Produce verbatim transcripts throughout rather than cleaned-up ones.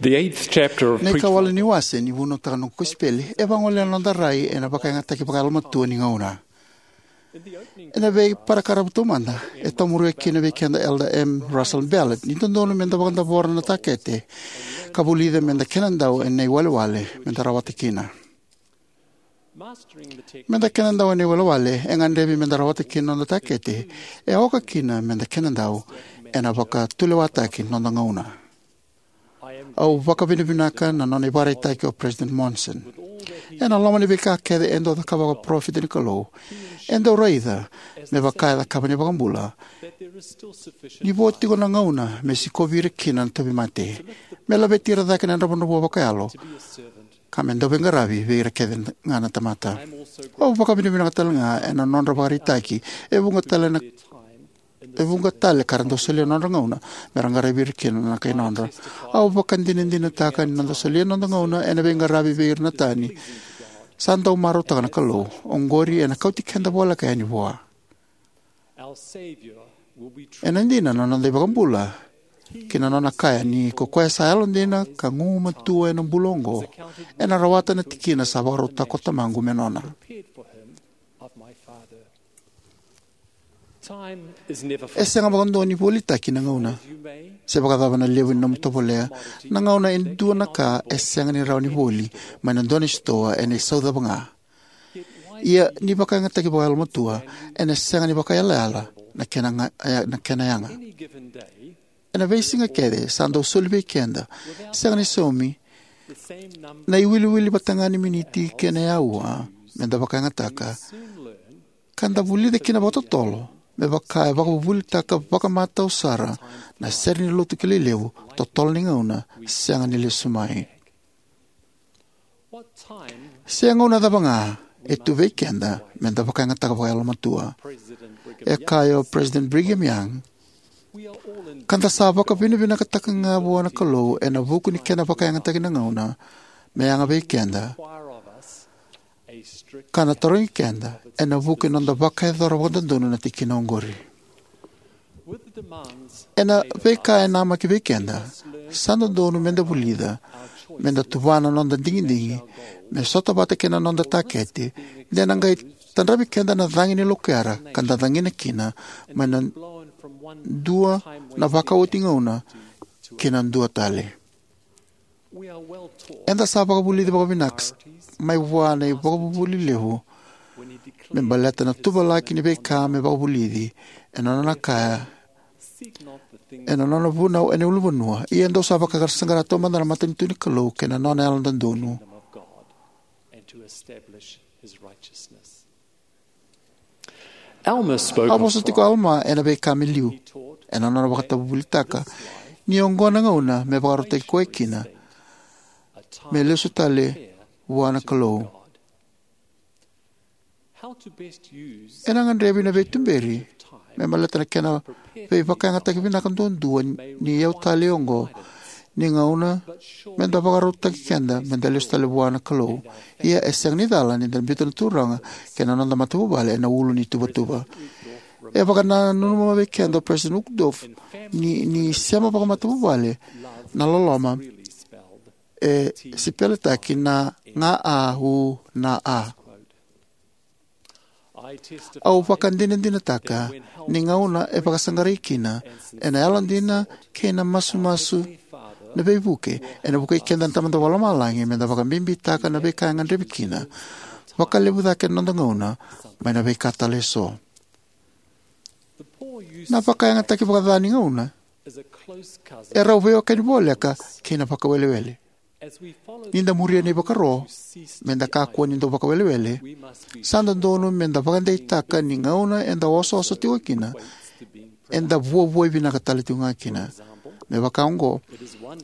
The eighth chapter of Na Preach ikawalu Like ni wase ni vunautaka na noqu kosipeli e vagolea na noda rai ena vakayagataki vakayalomatua ni gauna. Ena veiparakaravu taumada, e tomuria kina vei keda Elder M. Russell Ballard ni dodonu meda vakadavora na takete ka vulica meda kenadau ena iwalewale meda rawata kina. Meda kenadau ena iwalewale e gadrevi meda rawata kina na noda takete, e oka kina meda kenadau ena vakatulewataki na noda gauna. Au vakavinavinaka na nona ivakaraitaki o President Monson. Ena loma ni veika kece e dau cakava vakaparofita ni Kalou, e dau raica, me vaka e cakava na iVakabula, ni vo tiko na gauna me sikovi ira kina na tauvimate, me laveti ira cake na dravudravua vakayalo, ka me dau veiqaravi vei ira kece ga na tamata. Au vakavinavinaka tale ga ena nodra vakaraitaki e vuqa tale na e vuqa tale ka ra dau solia na nodra gauna me ra qaravi ira kina na kai nodra. Au vakadinadinataka ni noda solia na noda gauna ena veiqaravi vei ira na tani sa dau marautaka na Kalou, oqori ena kauti keda voleka yani vua. Ena dina na noda iVakabula ki na nona kaya ni ko koya sa yalodina ka gugumatua ena bula oqo ena rawata na tikina sa vakarautaka ko Tamaqu me nona. E sega vakadua ni volitaki na gauna. Se vakacava na levu ni nomu tovolea, na gauna e dua na ka e sega ni rawa ni voli mai na dua na sitoa ena isau cava ga. Ia ni vakayagataki vakayalomatua, ena sega ni vakayalayala na kena, ga- na kena yaga. Ena veisiga kece sa dau soli vei keda, sega ni saumi, na iwiliwili vata ga ni miniti kei na aua meda vakayagataka, ka da vulica kina vakatotolo me vaka e vakavuvulitaka vakamatau sara na sere ni lotu kilai levu, totolo ni gauna sega ni lesu mai. Se gauna cava ga e tu vei keda meda vakayagataka vakayalomatua. E kaya o President Brigham Young, ka da sa vakavinavinakataka ga vua na Kalou ena vuku ni kena vakayagataki na gauna me yaga vei keda, ka na tarogi keda ena vuku ni noda vakayacora vakadodonu na tikina oqori. Ena veika e namaki vei keda, sa dodonu meda vulica, meda tuvana na noda digidigi me sota vata kei na noda takete, de na qai tadravi keda na cagi ni lokuyara ka da cagina kina mai na dua na vakaoti gauna ki na dua tale. Eda sa vakavulici vakavinaka mai vua na ivakavuvuli levu me baleta na tuvalaki ni veika me vakavulici ena nona kaya ena nona vunau ena ulunivanua. Ia dou sa vakasaqara taumada na matanitu ni Kalou kei na nona yalododonu. Alma spoke A of vosa tiko o Alma ena veika me liu ena nona vakatavuvulitaka ni oqo na gauna me vakarautaki koya kina me lesu tale vua na Kalou. Ena gadrevi na veituberi me baleta na kena veivakayagataki vinaka duadua ni iyau tale oqo ni gauna meda vakarautaki keda meda lesu tale vua na Kalou. Ia e sega ni cala ni da biuta na Turaga kei na noda matavuvale ena ulu ni tuvatuva. E vakananuma vei keda o President Uchtdorf ni, ni sema vakamatavuvale na loloma e sipeletaki na ga a u na a. Au vakadinadinataka ni gauna e vakasaqarai kina ena yalodina kei na masumasu na veivuke, ena vukei keda na Tamada Vakalomalagi meda vakabibitaka na veika e gadrevi kina vakalevu cake na noda gauna mai na veika tale eso. Na vakayagataki vakaca ni gauna e rau veiwekani voleka kei na vakawelewele. Ni da muria na ivakaro meda kakua ni dau vakawelewele, sa dodonu meda vakadeitaka ni gauna eda osooso tiko kina eda vuavuai vinaka tale tiko ga kina. Me vaka oqo,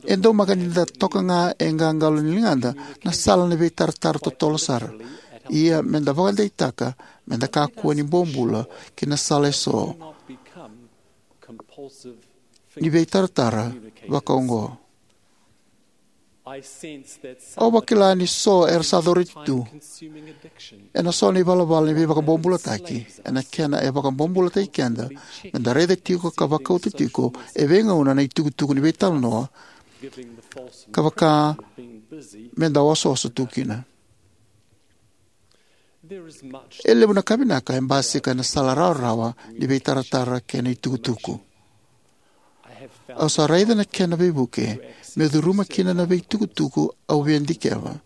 e daumaka ni da toka ga e qaqalo ni ligada na sala ni veitaratara totolo sara. Ia meda vakadeitaka meda kakua ni bobula ki na sala eso ni veitaratara vaka oqo. Au vakila ni so era sa coreti tu ena so na ivalavala ni veivakabobulataki, ena kena e vakabobulataki keda meda raica tiko ka vakauta tiko e veigauna na itukutuku ni veitalanoa ka vaka me da osooso tu kina. E levu na ka vinaka e basika ena sala rawarawa ni veitaratara kei na itukutuku. Au sa raica na kena veivuke meu curuma kina na veitukutuku au via dikeva,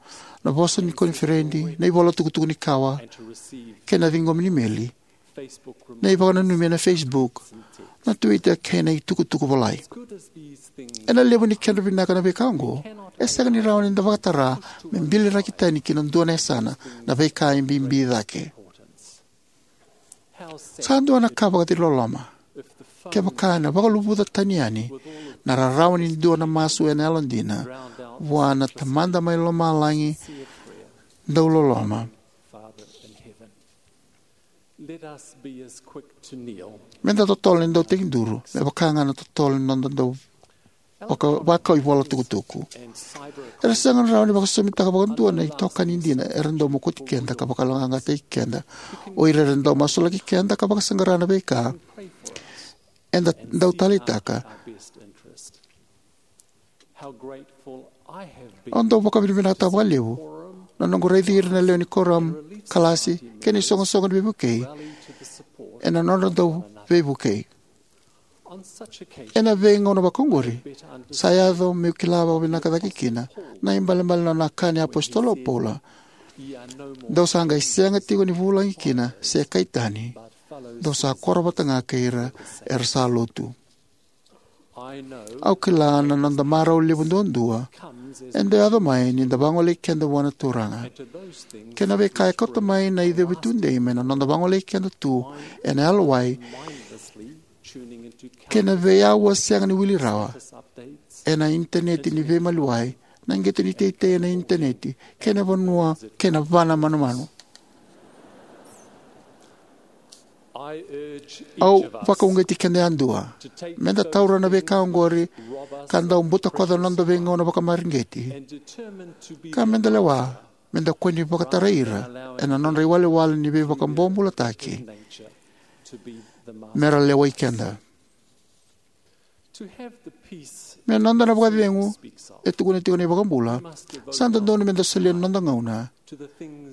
na vosa ni koniferedi, na ivola tukutuku ni kawa, kei na ciqomi ni meli, na ivakananumi ena Facebook, na Twitter, kei na itukutuku volai. Ena levu ni kedra vinaka na veika oqo, e sega ni rawa ni da vakatara me biliraki tani ki na dua na yasana na veika e bibi cake. Sa dua na ka vakaciloloma kevaka ena vakaluvuca tani yani na rarawa ni dua na masu ena yalodina vua na Tamada mai Lomalagi dauloloma. Me da totolo ni dau tekiduru me vaka ga na totolo ni noda dau vaka, vakau ivola tukutuku. Era sega ni rawa ni vakasosomitaka vakadua na itokani dina era dau mokoti keda ka vakayaloqaqataki keda. O ira era dau masulaki keda ka vakasaqara na veika eda dau taleitaka. Au dau vakavinavinakataka vakalevu na noqu raici ira na lewe ni kuoramu, kalasi, kei na isoqosoqo ni veivukei ena nodra dau veivukei. Ena veigauna vakaoqori, sa yaco meu kila vakavinaka cake kina na ibalebale na nona kaya na iApositolo o Paula: Dou sa qai sega tiko ni vulagi kina se kai tani, dou sa koro vata ga kei ira era sa lotu. Au kila na noda marau levu duadua e dau yaco mai ni da vagolei keda vua na Turaga. Kei na veika e kauta mai na icevi tudei mai na noda vagolei keda tu ena yalowai kei na veiauwa sega ni wili rawa ena initaneti ni veimaliwai, na qito ni teitei ena initaneti, kei na vanua kei na vana manumanu. Au vakauqeti keda yadua me da taura na veika oqori ka dau butakoca na noda veigauna vakamareqeti, ka me da lewa me da kua ni vakatarai ira ena nodra iwalewale ni veivakabobulataki me ra lewai keda. Me noda na vakacegu e tukuna tiko na iVakabula, sa dodonu me da solia na noda gauna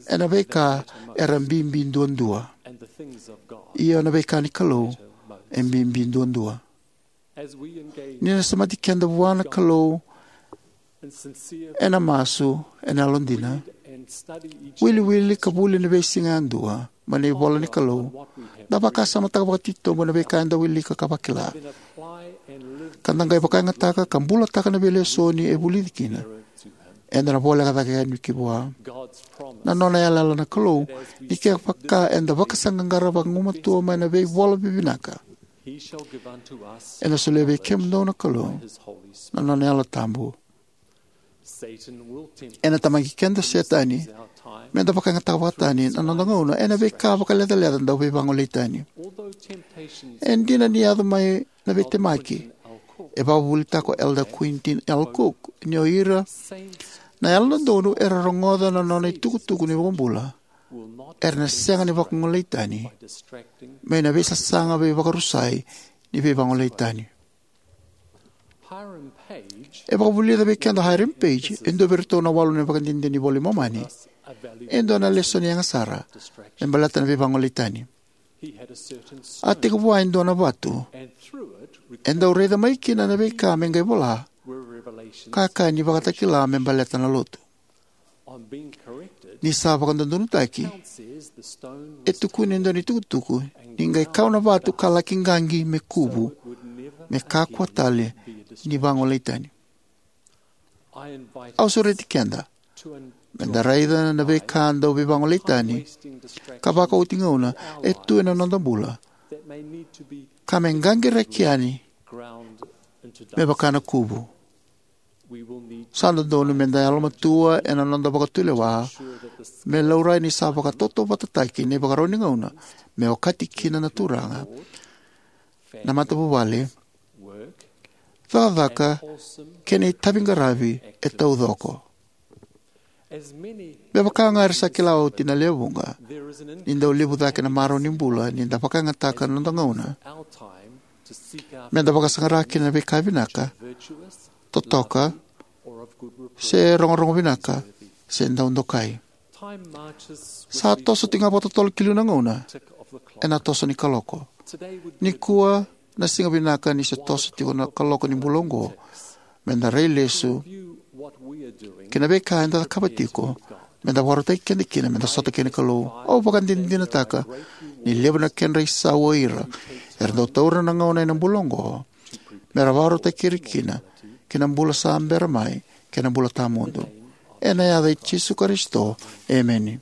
ena veika era bibi duadua, io, na veika ni Kalou e bibi duadua. Ni da semati keda vua na Kalou ena masu, ena yalodina, wiliwili ka vuli ena veisiga yadua mai na ivola ni Kalou, da vakasamataka vakatitobu na veika eda wilika ka vakila, ka da qai vakayagataka ka bulataka na veilesoni e vulici kina, eda na voleka cake yani ki vua. Na nona yalayala na Kalou ni kevaka eda vakasaqaqara vagumatua mai na veivola vivinaka, ena solia vei kemudou na Kalou na nona Yalo Tabu. Ena tamaqi keda o Setani me da vakayagataka vakatani na noda gauna ena veika vakalecaleca dau veivagolei tani. E dina ni yaco mai na veitemaki, e vakavuvulitaka o Elder Quentin L. Cook ni o ira na yalododonu era rogoca na nona itukutuku ni iVakabula era na sega ni vakagolei tani mai na veisasaga veivakarusai ni veivagolei tani. E vakavulica vei keda o Hiram Page, e dua vei iratou na walu na ivakadinadina ni iVola i Momani, e dua na lesoni yaga sara me baleta na veivagolei tani. A tekivu e dua na vatu e dau raica mai kina na veika me qai vola ka kaya ni vakatakila me baleta na lotu. Ni sa vakadodonutaki, e tukuna e dua na itukutuku ni qai kau na vatu ka laki qaqi me kuvu, me kakua tale ni vagolei tani. Au sureti keda me da raica na veika dau veivagolei tani ka vakaoti gauna e tu ena noda bula ka me qaqiraki yani me vaka na kuvu. Sa dodonu me da yalomatua ena noda vakatulewa me laurai ni sa vakatautauvatataki na ivakarau ni gauna me okati kina na Turaga. Na matavuvale, cakacaka, kei na itaviqaravi e taucoko. Me vaka ga era sa kila oti na lewe vuqa, ni dau levu cake na marau ni bula ni da vakayagataka na noda gauna me da vakasaqara kina na veika vinaka, totoka, se rogorogo vinaka, se dau dokai. Sa toso tiko ga vakatotolo ki liu na gauna ena toso ni kaloko. Nikua na siga vinaka ni se toso tiko na kaloko ni bula oqo, me da rai lesu ki na veika eda cakava tiko me da vakarautaki keda kina me da sota kei na Kalou. Au vakadinadinataka ni levu na kedra isau o ira era dau taura na gauna ena bula oqo me ra vakarautaki ira kina ki na bula sa bera mai kei na bula tawamudu. Ena yaca i Jisu Karisito, emeni.